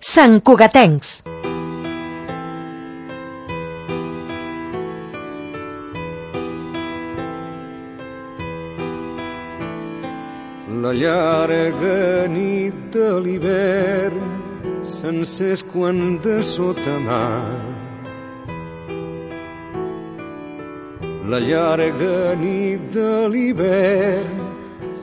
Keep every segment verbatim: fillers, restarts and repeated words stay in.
santcugatencs. La llarga nit de l'hivern s'encès quan de sota mar. La llarga nit de l'hivern.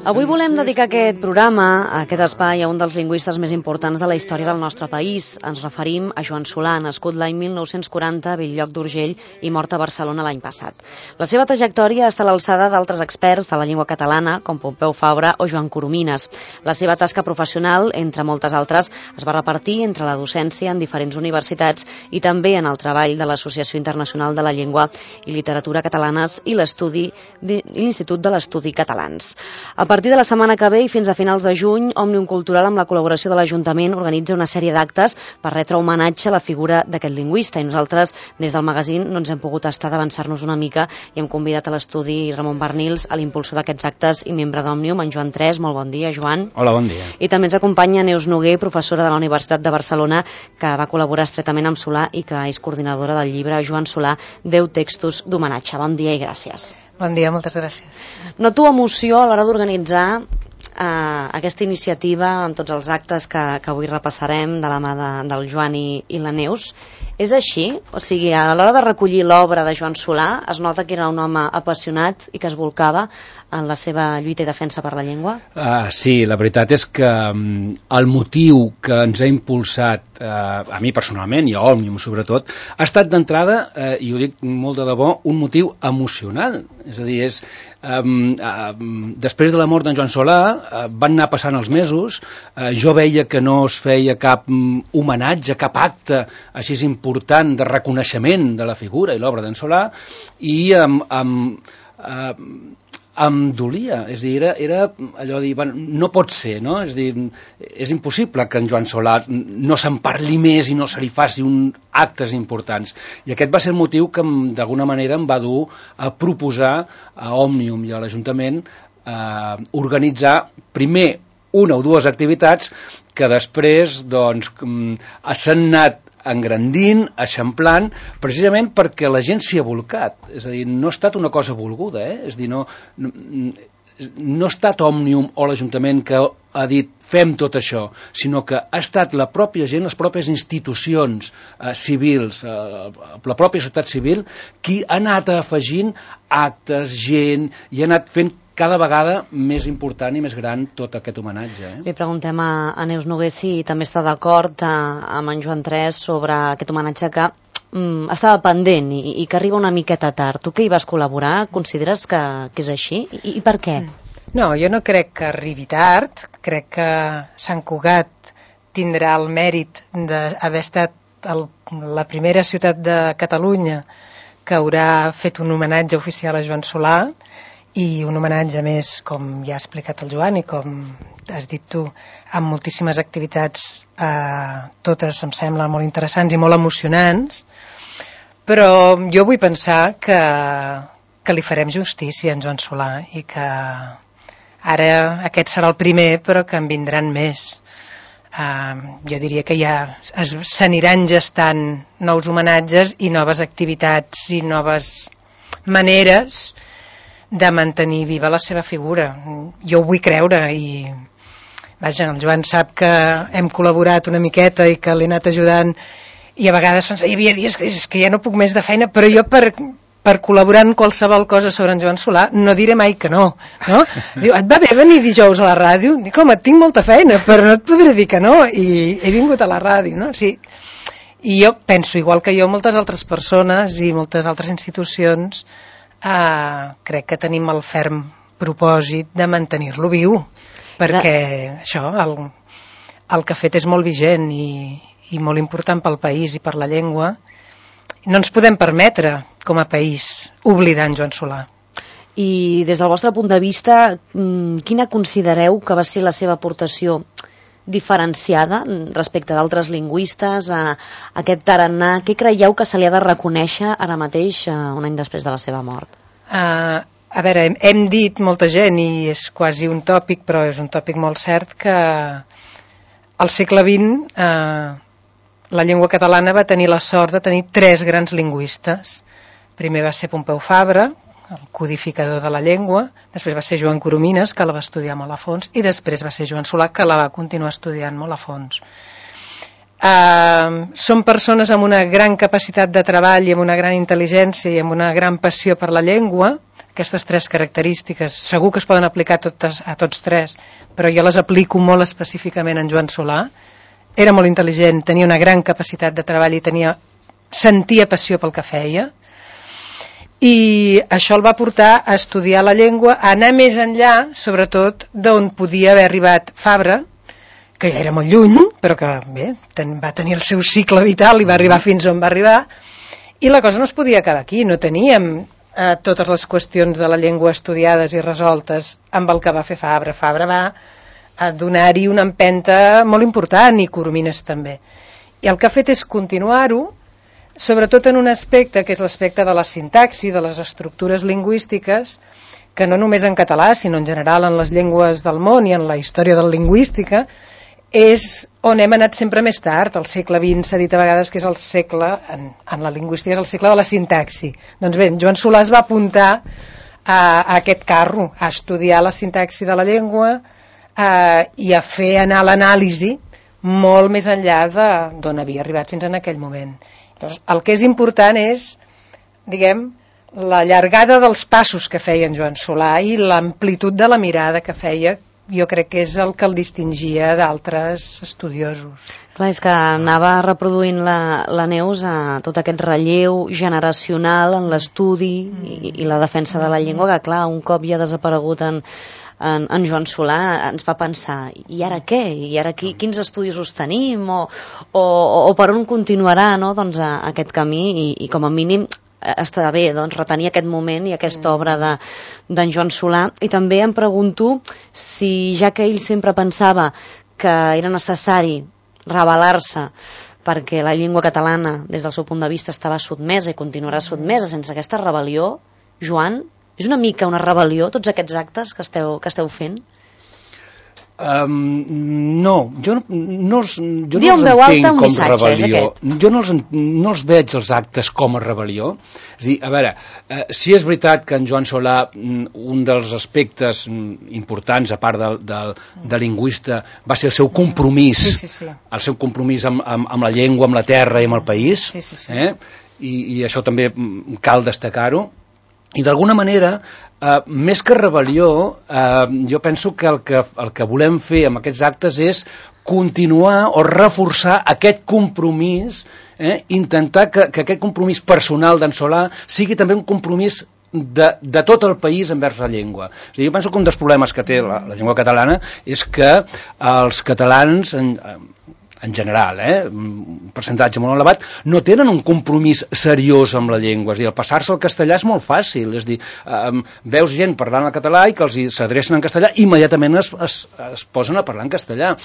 Avui volem dedicar aquest programa, a aquest espai, a un dels lingüistes més importants de la història del nostre país. Ens referim a Joan Solà, nascut l'any mil nou-cents quaranta a Bell-lloc d'Urgell i mort a Barcelona l'any passat. La seva trajectòria està a l'alçada d'altres experts de la llengua catalana, com Pompeu Fabra o Joan Coromines. La seva tasca professional, entre moltes altres, es va repartir entre la docència en diferents universitats i també en el treball de l'Associació Internacional de la Llengua i Literatura Catalanes i l'estudi de l'Institut de l'Estudi Catalans. A partir de la setmana que ve i fins a finals de juny, Òmnium Cultural, amb la col·laboració de l'Ajuntament, organitza una sèrie d'actes per retre homenatge a la figura d'aquest lingüista. I nosaltres, des del magazín, no ens hem pogut estar d'avançar-nos una mica i hem convidat a l'estudi Ramon Barnils, a l'impulsor d'aquests actes i membre d'Òmnium, en Joan Tres. Molt bon dia, Joan. Hola, bon dia. I també ens acompanya Neus Noguer, professora de la Universitat de Barcelona, que va col·laborar estretament amb Solà i que és coordinadora del llibre Joan Solà, deu textos d'homenatge. Bon dia i gràcies. Bon dia, moltes gràcies. Noto emoció a l'hora d'organitzar eh, aquesta iniciativa amb tots els actes que, que avui repassarem de la mà de, del Joan i, i la Neus. És així? O sigui, a l'hora de recollir l'obra de Joan Solà es nota que era un home apassionat i que es volcava en la seva lluita i defensa per la llengua? Uh, sí, la veritat és que um, el motiu que ens ha impulsat, uh, a mi personalment i a Òmnium sobretot, ha estat d'entrada, uh, i ho dic molt de debò, un motiu emocional. És a dir, és, um, uh, després de la mort d'en Joan Solà uh, van anar passant els mesos, uh, jo veia que no es feia cap um, homenatge, cap acte així important de reconeixement de la figura i l'obra d'en Solà, i um, um, uh, em dolia, és a dir, era, era allò de dir, bueno, no pot ser, no? És a dir, és impossible que en Joan Solà no se'n parli més i no se li faci un actes importants. I aquest va ser el motiu que d'alguna manera em va dur a proposar a Òmnium i a l'Ajuntament eh, organitzar primer una o dues activitats que després doncs, s'han anat engrandint, eixamplant, precisament perquè la gent s'hi ha volcat. És a dir, no ha estat una cosa volguda, eh? És a dir, no, no, no ha estat Òmnium o l'Ajuntament que ha dit fem tot això, sinó que ha estat la pròpia gent, les pròpies institucions eh, civils, eh, la pròpia societat civil, qui ha anat afegint actes, gent, i ha anat fent cada vegada més important i més gran tot aquest homenatge. Eh? Li preguntem a, a Neus Noguer si també està d'acord amb en Joan Tres sobre aquest homenatge que mm, estava pendent i, i que arriba una miqueta tard. Tu que hi vas col·laborar, consideres que, que és així? I, I per què? No, jo no crec que arribi tard. Crec que Sant Cugat tindrà el mèrit d'haver estat el, la primera ciutat de Catalunya que haurà fet un homenatge oficial a Joan Solà, i un homenatge més, com ja ha explicat el Joan i com has dit tu, amb moltíssimes activitats, eh, totes em sembla molt interessants i molt emocionants, però jo vull pensar que, que li farem justícia a en Joan Solà i que ara aquest serà el primer, però que en vindran més. Eh, jo diria que ja s'aniran gestant nous homenatges i noves activitats i noves maneres de mantenir viva la seva figura. Jo ho vull creure i vaja, el Joan sap que hem col·laborat una miqueta i que l'he anat ajudant i a vegades hi havia dies que, és que ja no puc més de feina, però jo per, per col·laborar en qualsevol cosa sobre en Joan Solà no diré mai que no, no? Diu, et va bé venir dijous a la ràdio? Dic, home, tinc molta feina, però no et podré dir que no, i he vingut a la ràdio, no? Sí. I jo penso, igual que jo, moltes altres persones i moltes altres institucions, Uh, crec que tenim el ferm propòsit de mantenir-lo viu, perquè la... això, el, el que ha fet és molt vigent i, i molt important pel país i per la llengua. No ens podem permetre, com a país, oblidar en Joan Solà. I des del vostre punt de vista, quina considereu que va ser la seva aportació diferenciada respecte d'altres lingüistes, a, a aquest tarannà? Què creieu que se li ha de reconèixer ara mateix, un any després de la seva mort? Uh, a veure, hem, hem dit molta gent, i és quasi un tòpic, però és un tòpic molt cert, que al segle vint uh, la llengua catalana va tenir la sort de tenir tres grans lingüistes. Primer va ser Pompeu Fabra, el codificador de la llengua, després va ser Joan Coromines, que la va estudiar molt a fons, i després va ser Joan Solà, que la va continuar estudiant molt a fons. Uh, són persones amb una gran capacitat de treball i amb una gran intel·ligència i amb una gran passió per la llengua. Aquestes tres característiques segur que es poden aplicar a, totes, a tots tres, però jo les aplico molt específicament en Joan Solà. Era molt intel·ligent, tenia una gran capacitat de treball i tenia, sentia passió pel que feia, i això el va portar a estudiar la llengua, a anar més enllà, sobretot d'on podia haver arribat Fabra, que ja era molt lluny, però que bé, ten, va tenir el seu cicle vital i va arribar fins on va arribar, i la cosa no es podia quedar aquí, no teníem eh, totes les qüestions de la llengua estudiades i resoltes amb el que va fer Fabra. Fabra va a donar-hi una empenta molt important, i Coromines també. I el que ha fet és continuar-ho, sobretot en un aspecte, que és l'aspecte de la sintaxi, de les estructures lingüístiques, que no només en català, sinó en general en les llengües del món i en la història de la lingüística, és on hem anat sempre més tard. El segle vint s'ha dit a vegades que és el segle, en, en la lingüística, és el segle de la sintaxi. Doncs bé, Joan Solà es va apuntar a, a aquest carro, a estudiar la sintaxi de la llengua, Uh, i a fer anar l'anàlisi molt més enllà d'on havia arribat fins en aquell moment. Llavors, el que és important és, diguem, la llargada dels passos que feia en Joan Solà i l'amplitud de la mirada que feia, jo crec que és el que el distingia d'altres estudiosos. Clar, és que anava reproduint la, la Neus a tot aquest relleu generacional en l'estudi i, i la defensa de la llengua, que clar, un cop ja ha desaparegut en En, en Joan Solà, ens fa pensar, i ara què? I ara qui, quins estudis us tenim? O, o, o per on continuarà, no? Doncs, a, a aquest camí, i, i com a mínim està bé, doncs, retenir aquest moment i aquesta obra d'en de, Joan Solà. I també em pregunto si, ja que ell sempre pensava que era necessari rebel·lar-se perquè la llengua catalana, des del seu punt de vista, estava sotmesa i continuarà sotmesa sense aquesta rebel·lió, Joan, és una mica una rebel·lió, tots aquests actes que esteu, que esteu fent? Um, no, jo, no, els, jo Diu no els entenc com missatge, rebel·lió. Jo no els, no els veig els actes com a rebel·lió. És a dir, a veure, eh, si és veritat que en Joan Solà, un dels aspectes importants, a part de, de, de lingüista, va ser el seu compromís, sí, sí, sí. el seu compromís amb, amb, amb la llengua, amb la terra i amb el país, sí, sí, sí. Eh? I, i això també cal destacar-ho. I d'alguna manera, eh, més que rebel·lió, eh, jo penso que el, que el que volem fer amb aquests actes és continuar o reforçar aquest compromís, eh, intentar que, que aquest compromís personal d'en Solà sigui també un compromís de, de tot el país envers la llengua. És a dir, jo penso que un dels problemes que té la, la llengua catalana és que els catalans, en, en general, eh, un percentatge molt elevat, no tenen un compromís seriós amb la llengua. És a dir, el passar-se al castellà és molt fàcil. És a dir, eh, veus gent parlant el català i que els s'adrecen en castellà, immediatament es, es, es posen a parlar en castellà.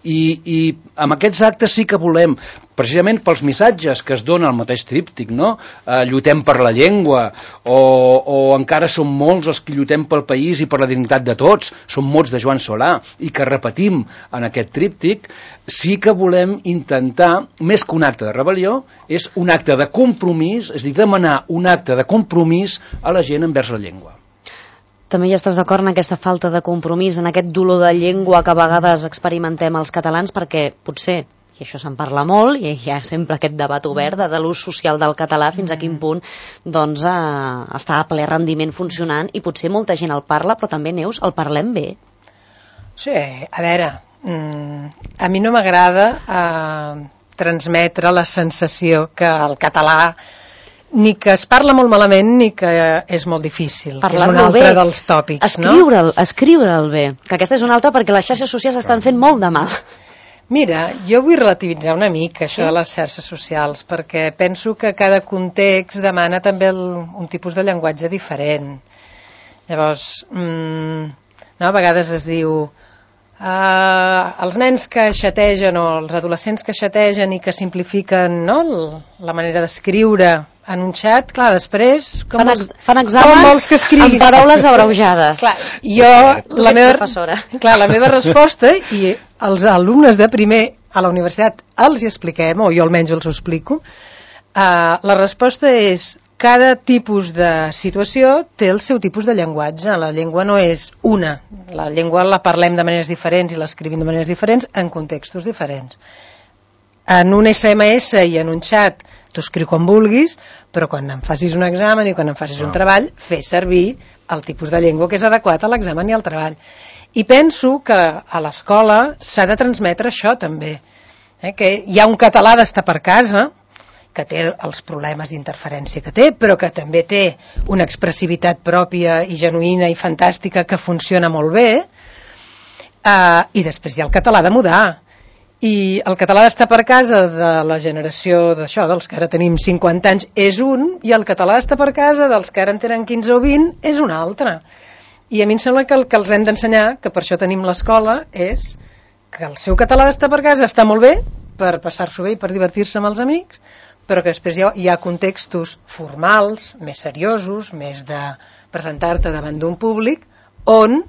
I, i amb aquests actes sí que volem, precisament pels missatges que es dona al mateix tríptic, no? Eh, lluitem per la llengua, o, o encara som molts els que lluitem pel país i per la dignitat de tots, som mots de Joan Solà, i que repetim en aquest tríptic, sí que volem intentar, més que un acte de rebel·lió, és un acte de compromís, és a dir, demanar un acte de compromís a la gent envers la llengua. També hi estàs d'acord en aquesta falta de compromís, en aquest dolor de llengua que a vegades experimentem els catalans, perquè potser, i això se'n parla molt, i hi ha sempre aquest debat obert de, de l'ús social del català, fins a quin punt doncs, eh, està a ple rendiment funcionant, i potser molta gent el parla, però també, Neus, el parlem bé. Sí, a veure, a mi no m'agrada eh, transmetre la sensació que el català ni que es parla molt malament ni que és molt difícil, que és un altre bé. Dels tòpics. Escriure'l, no? Escriure'l bé, que aquesta és una altra perquè les xarxes socials estan fent molt de mal. Mira, jo vull relativitzar una mica això sí? de les xarxes socials, perquè penso que cada context demana també el, un tipus de llenguatge diferent. Llavors, mmm, no, a vegades es diu Uh, els nens que xategen o els adolescents que xategen i que simplifiquen, no, la manera d'escriure en un xat, clar, després com fan, els, fan exàmens que amb paraules abreujades. Clar, jo, la meva, clar, la meva resposta, i els alumnes de primer a la universitat els hi expliquem, o jo almenys els ho explico, uh, la resposta és cada tipus de situació té el seu tipus de llenguatge. La llengua no és una. La llengua la parlem de maneres diferents i l'escrivim de maneres diferents en contextos diferents. En un esse eme esse i en un xat tu escriu com vulguis, però quan em facis un examen i quan em facis un treball, fes servir el tipus de llengua que és adequat a l'examen i al treball. I penso que a l'escola s'ha de transmetre això també, eh? Que hi ha un català d'estar per casa, que té els problemes d'interferència que té, però que també té una expressivitat pròpia i genuïna i fantàstica que funciona molt bé, eh, i després hi ha el català de mudar. I el català d'estar per casa de la generació d'això, dels que ara tenim cinquanta anys, és un, i el català d'estar per casa dels que ara en tenen quinze o vint és un altre. I a mi em sembla que el que els hem d'ensenyar, que per això tenim l'escola, és que el seu català d'estar per casa està molt bé per passar-s'ho bé i per divertir-se amb els amics, però que després hi ha, hi ha contextos formals, més seriosos, més de presentar-te davant d'un públic, on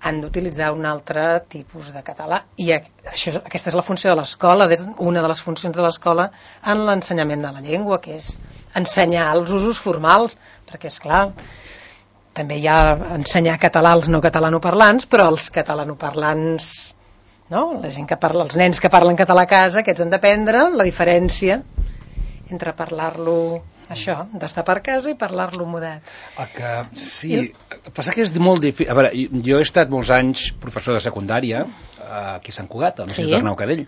han d'utilitzar un altre tipus de català. I això, aquesta és la funció de l'escola, una de les funcions de l'escola en l'ensenyament de la llengua, que és ensenyar els usos formals, perquè, és clar, també hi ha ensenyar català als no catalanoparlants, però els catalanoparlants, no? La gent que parla, els nens que parlen català a casa, aquests han d'aprendre la diferència entre parlar-lo, això, d'estar per casa i parlar-lo mudat. El que, sí, el passa que és molt difícil. A veure, jo he estat molts anys professor de secundària aquí a Sant Cugat, al Institut Arnau Cadell,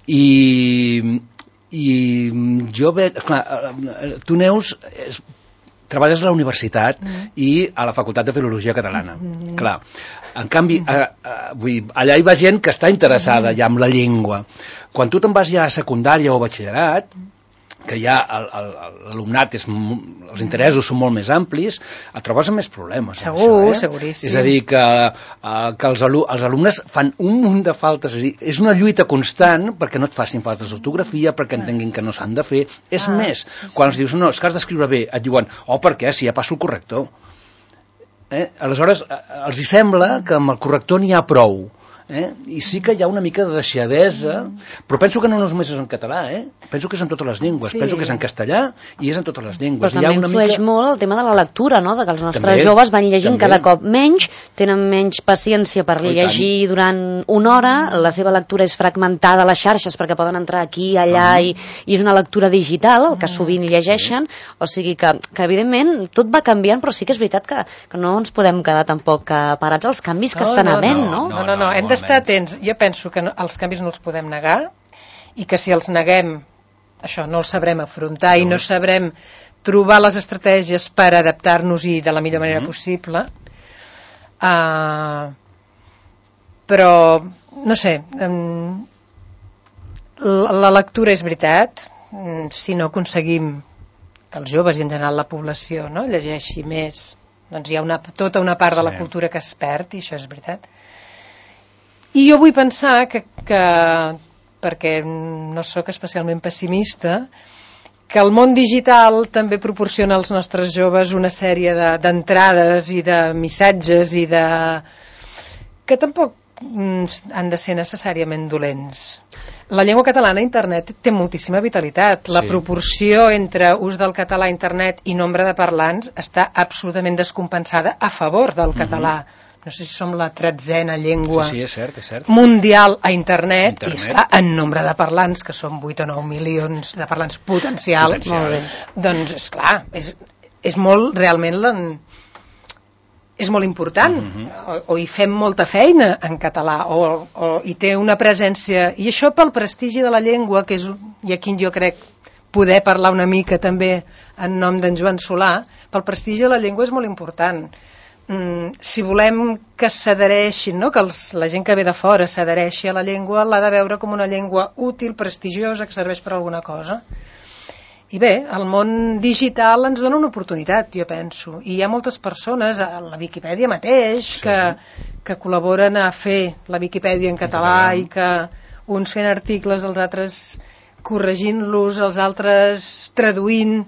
i, i jo veig, clar, tu, Neus, és, treballes a la universitat mm. i a la Facultat de Filologia Catalana. Mm. Clar, en canvi, mm. a, a, vull dir, allà hi va gent que està interessada mm. ja en la llengua. Quan tu te'n vas ja a secundària o batxillerat, que ja l'alumnat, els interessos són molt més amplis, et trobes amb més problemes. Segur, això, eh? seguríssim. És a dir, que, que els, alu els alumnes fan un munt de faltes, és, dir, és una lluita constant perquè no et facin faltes d'ortografia, perquè entenguin que no s'han de fer. És ah, més, sí, sí. Quan els dius, no, és que has d'escriure bé, et diuen, oh, per què? Si ja passo el corrector. Eh? Aleshores, els hi sembla que amb el corrector n'hi ha prou. Eh? I sí que hi ha una mica de deixadesa, però penso que no només és en català, eh? Penso que és en totes les llengües, sí. Penso que és en castellà i és en totes les llengües. Però també influeix mica... molt el tema de la lectura, no? De que els nostres també, joves van llegint també. Cada cop menys, tenen menys paciència per oh, llegir tant. Durant una hora, la seva lectura és fragmentada a les xarxes perquè poden entrar aquí, allà, uh -huh. i, i és una lectura digital, el que sovint llegeixen, uh -huh. O sigui que, que evidentment tot va canviant, però sí que és veritat que, que no ens podem quedar tampoc parats als canvis que no, estan no, havent, no? No, no, no, no, no hem d'estar atents. Jo penso que no, els canvis no els podem negar i que si els neguem, això, no els sabrem afrontar no. I no sabrem trobar les estratègies per adaptar-nos-hi de la millor manera mm-hmm. possible. Uh, però, no sé, um, la, la lectura és veritat, um, si no aconseguim que els joves i en general la població no, llegeixi més, doncs hi ha una, tota una part sí. De la cultura que es perd, i això és veritat. I jo vull pensar que, que, perquè no sóc especialment pessimista, que el món digital també proporciona als nostres joves una sèrie d'entrades de, i de missatges i de... que tampoc han de ser necessàriament dolents. La llengua catalana a internet té moltíssima vitalitat. La sí. Proporció entre ús del català a internet i nombre de parlants està absolutament descompensada a favor del català. Mm-hmm. No sé si som la tretzena llengua sí, sí, és cert, és cert. Mundial a internet, internet. I esclar, en nombre de parlants, que són vuit o nou milions de parlants potencials, Potencial. Doncs esclar, és, és molt, realment, la, és molt important, mm-hmm. o, o hi fem molta feina en català, o, o hi té una presència, i això pel prestigi de la llengua, que és, i aquí jo crec poder parlar una mica també en nom d'en Joan Solà, pel prestigi de la llengua és molt important. Mm, si volem que s'adhereixin, no? Que els, la gent que ve de fora s'adhereixi a la llengua, l'ha de veure com una llengua útil, prestigiosa, que serveix per alguna cosa. I bé, el món digital ens dona una oportunitat, jo penso, i hi ha moltes persones, a la Viquipèdia mateix, sí. que, que col·laboren a fer la Viquipèdia en català i que uns fent articles, els altres corregint-los, els altres traduint.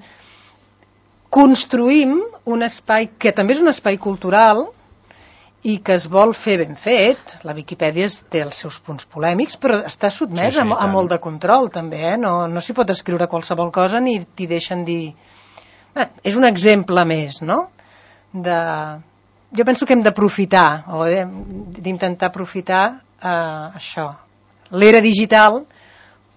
Construïm un espai que també és un espai cultural i que es vol fer ben fet. La Viquipèdia té els seus punts polèmics, però està sotmès sí, sí, a, a molt de control, també, eh? No, no s'hi pot escriure qualsevol cosa ni t'hi deixen dir... Bé, és un exemple més, no? De... Jo penso que hem d'aprofitar, o d'intentar aprofitar eh, això, l'era digital,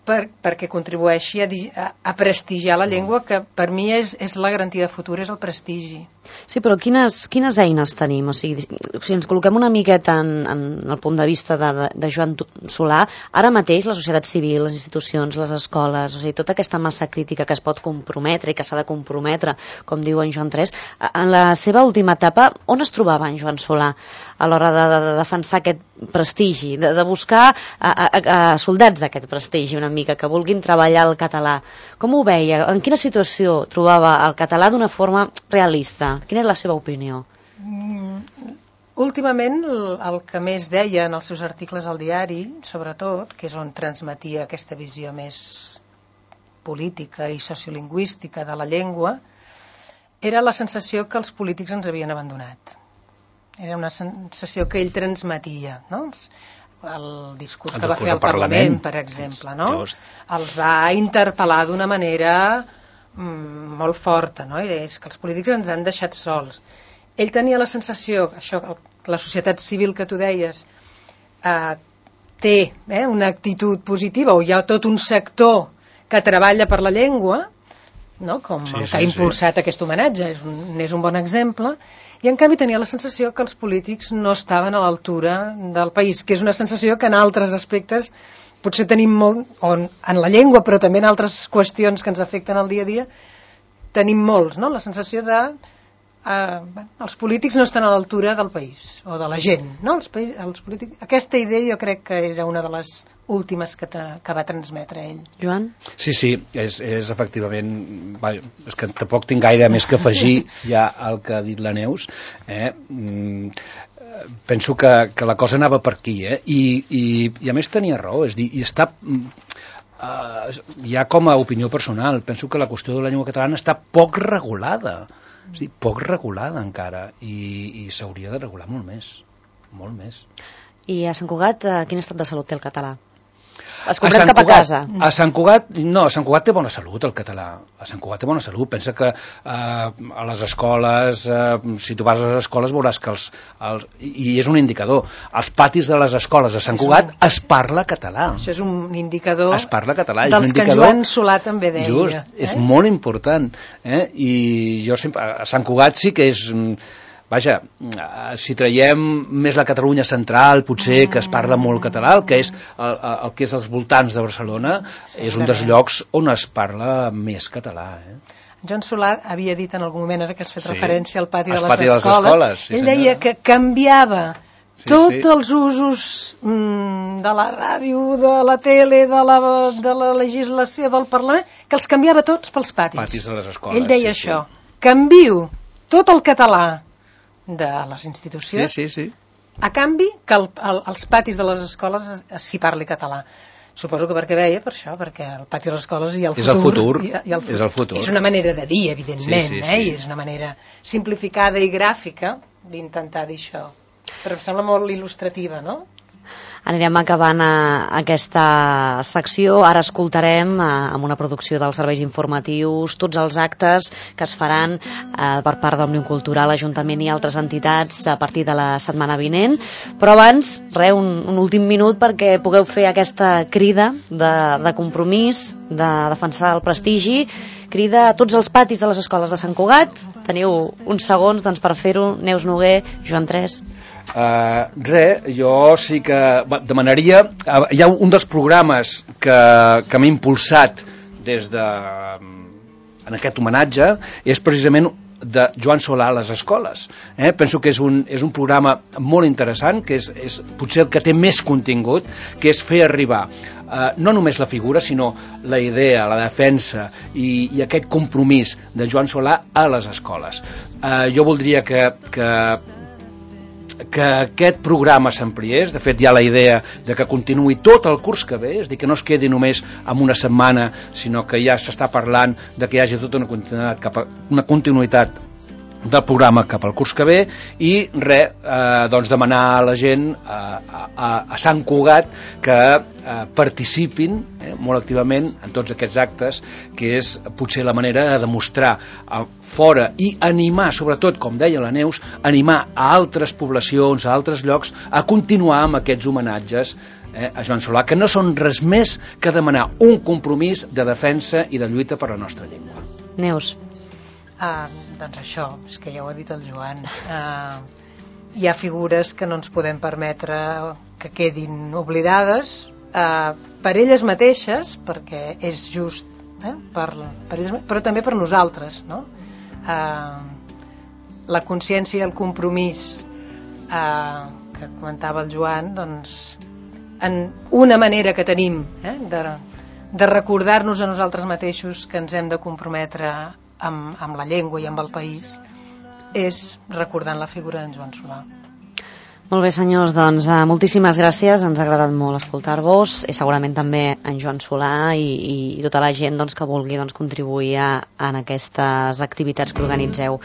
per, perquè contribueixi a, a, a prestigiar la llengua, que per mi és, és la garantia de futur, és el prestigi. Sí, però quines, quines eines tenim? O sigui, si ens col·loquem una miqueta en, en el punt de vista de, de, de Joan Solà, ara mateix la societat civil, les institucions, les escoles, o sigui, tota aquesta massa crítica que es pot comprometre i que s'ha de comprometre, com diu en Joan tres, en la seva última etapa, on es trobava en Joan Solà a l'hora de, de, de defensar aquest prestigi, de, de buscar a, a, a soldats d'aquest prestigi una mica, que vulguin treballar el català? Com ho veia? En quina situació trobava el català d'una forma realista? Quina és la seva opinió? Mm, últimament, el, el que més deia en els seus articles al diari, sobretot, que és on transmetia aquesta visió més política i sociolingüística de la llengua, era la sensació que els polítics ens havien abandonat. Era una sensació que ell transmetia, no? El discurs que va fer al Parlament, per exemple, no? Els va interpel·lar d'una manera mm, molt forta, no? I és que els polítics ens han deixat sols. Ell tenia la sensació, això, la societat civil que tu deies, eh, té eh, una actitud positiva, o hi ha tot un sector que treballa per la llengua, no? Com sí, el que sí, ha impulsat sí. aquest homenatge, és un, és un bon exemple, i en canvi tenia la sensació que els polítics no estaven a l'altura del país, que és una sensació que en altres aspectes potser tenim molt, o en la llengua, però també en altres qüestions que ens afecten al dia a dia, tenim molts, no? La sensació de eh, els polítics no estan a l'altura del país, o de la gent, no? Els, país, els polítics... Aquesta idea jo crec que era una de les últimes que, te, que va transmetre ell. Joan? Sí, sí, és, és efectivament... Va, és que tampoc tinc gaire més que afegir ja al que ha dit la Neus. Eh? Mm, penso que, que la cosa anava per aquí, eh? I, i, i a més tenia raó, és dir, i està... Uh, ja com a opinió personal, penso que la qüestió de la llengua catalana està poc regulada, és dir, poc regulada encara, i, i s'hauria de regular molt més, molt més. I a Sant Cugat, quin estat de salut té el català? Es comprem cap a casa. A Sant Cugat, no, a Sant Cugat té bona salut el català. A Sant Cugat té bona salut. Pensa que eh, a les escoles, eh, si tu vas a les escoles veuràs que els, els... I és un indicador. Als patis de les escoles a Sant Cugat un... es parla català. Això és un indicador es parla català. dels és un indicador... que en Joan Solà també deia. Just, eh? és molt important. Eh? I jo sempre... A Sant Cugat sí que és... Vaja, si traiem més la Catalunya central, potser que es parla molt català, el que és, el, el que és als voltants de Barcelona, sí, és un dels llocs on es parla més català. Eh? Joan Solà havia dit en algun moment, ara que has fet sí. referència al pati, de les, pati de les escoles, escoles sí, ell deia que canviava sí, tots sí. els usos mm, de la ràdio, de la tele, de la, de la legislació, del Parlament, que els canviava tots pels patis. Patis de les escoles. Ell deia sí, això, sí. canvio tot el català de les institucions, sí, sí, sí. a canvi que el, el, els patis de les escoles s'hi parli català. Suposo que perquè veia, per això, perquè el pati de les escoles hi ha el és futur. El futur. I, i el futur. És el futur. És una manera de dir, evidentment, sí, sí, eh? sí. I és una manera simplificada i gràfica d'intentar dir això. Però em sembla molt il·lustrativa, no? Anirem acabant a, a aquesta secció. Ara escoltarem a, amb una producció dels serveis informatius tots els actes que es faran eh, per part d'Òmnium Cultural, Ajuntament i altres entitats a partir de la setmana vinent. Però abans, re, un, un últim minut perquè pugueu fer aquesta crida de, de compromís, de defensar el prestigi, crida a tots els patis de les escoles de Sant Cugat. Teniu uns segons doncs, per fer-ho. Neus Noguer, Joan tres. Uh, res, jo sí que demanaria, uh, hi ha un dels programes que, que m'ha impulsat des de en aquest homenatge, és precisament de Joan Solà a les escoles. Eh? Penso que és un, és un programa molt interessant, que és, és potser el que té més contingut, que és fer arribar eh, no només la figura, sinó la idea, la defensa i, i aquest compromís de Joan Solà a les escoles. Eh, jo voldria que, que que aquest programa s'ampliés. De fet hi ha la idea de que continuï tot el curs que ve, és dir, que no es quedi només en una setmana, sinó que ja s'està parlant de que hi hagi tota una continuïtat cap a, una continuïtat del programa cap al curs que ve i res, eh, doncs demanar a la gent a, a, a Sant Cugat que eh, participin eh, molt activament en tots aquests actes, que és potser la manera de demostrar a fora i animar, sobretot, com deia la Neus, animar a altres poblacions, a altres llocs, a continuar amb aquests homenatges eh, a Joan Solà, que no són res més que demanar un compromís de defensa i de lluita per la nostra llengua. Neus. Ah, doncs això, és que ja ho ha dit el Joan. Ah, hi ha figures que no ens podem permetre que quedin oblidades ah, per elles mateixes, perquè és just, eh, per, per elles, però també per nosaltres, no? Ah, la consciència i el compromís ah, que comentava el Joan, doncs, en una manera que tenim eh, de, de recordar-nos a nosaltres mateixos que ens hem de comprometre Amb, amb la llengua i amb el país, és recordant la figura d'en Joan Solà. Molt bé, senyors, doncs uh, moltíssimes gràcies, ens ha agradat molt escoltar-vos, i segurament també en Joan Solà i, i tota la gent doncs, que vulgui doncs, contribuir a, en aquestes activitats que organitzeu.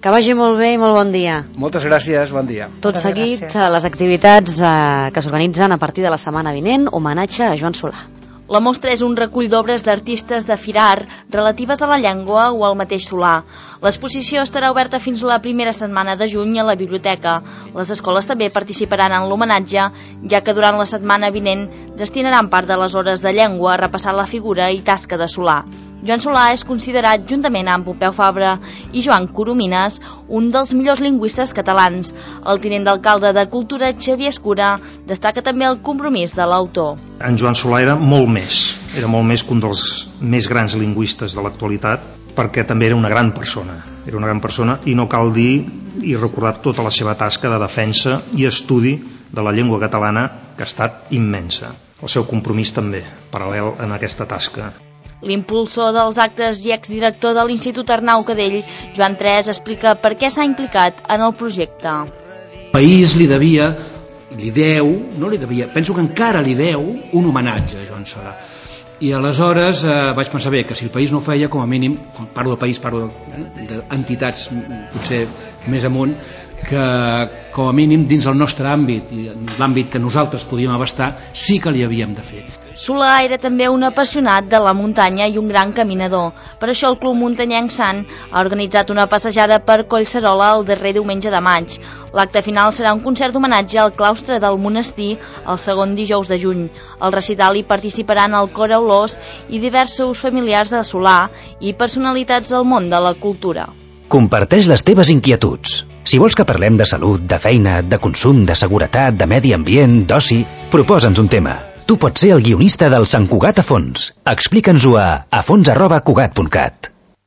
Que vagi molt bé i molt bon dia. Moltes gràcies, bon dia. Tot Moltes seguit, gràcies. les activitats uh, que s'organitzen a partir de la setmana vinent, homenatge a Joan Solà. La mostra és un recull d'obres d'artistes de Firar relatives a la llengua o al mateix Solà. L'exposició estarà oberta fins la primera setmana de juny a la biblioteca. Les escoles també participaran en l'homenatge, ja que durant la setmana vinent destinaran part de les hores de llengua a repassar la figura i tasca de Solà. Joan Solà és considerat, juntament amb Pompeu Fabra i Joan Coromines, un dels millors lingüistes catalans. El tinent d'alcalde de Cultura, Xavier Escura, destaca també el compromís de l'autor. En Joan Solà era molt més, era molt més que un dels més grans lingüistes de l'actualitat, perquè també era una gran persona, era una gran persona i no cal dir i recordar tota la seva tasca de defensa i estudi de la llengua catalana, que ha estat immensa. El seu compromís també, paral·lel en aquesta tasca. L'impulsor dels actes i exdirector de l'Institut Arnau Cadell, Joan Tres, explica per què s'ha implicat en el projecte. El país li devia, li deu, no li devia, penso que encara li deu un homenatge a Joan Solà. I aleshores eh, vaig pensar bé que si el país no ho feia, com a mínim, quan parlo del país parlo d'entitats potser més amunt, que com a mínim dins el nostre àmbit i l'àmbit que nosaltres podíem abastar sí que li havíem de fer. Solà era també un apassionat de la muntanya i un gran caminador. Per això el Club Muntanyenc Sant ha organitzat una passejada per Collserola el darrer diumenge de maig. L'acte final serà un concert d'homenatge al claustre del monestir el segon dijous de juny. Al recital hi participaran el Cor Aulós i diversos familiars de Solà i personalitats del món de la cultura. Comparteix les teves inquietuds. Si vols que parlem de salut, de feina, de consum, de seguretat, de medi ambient, d'oci, proposa'ns un tema. Tu pots ser el guionista del Sant Cugat a fons. Explica'ns-ho a afons arroba cugat punt cat.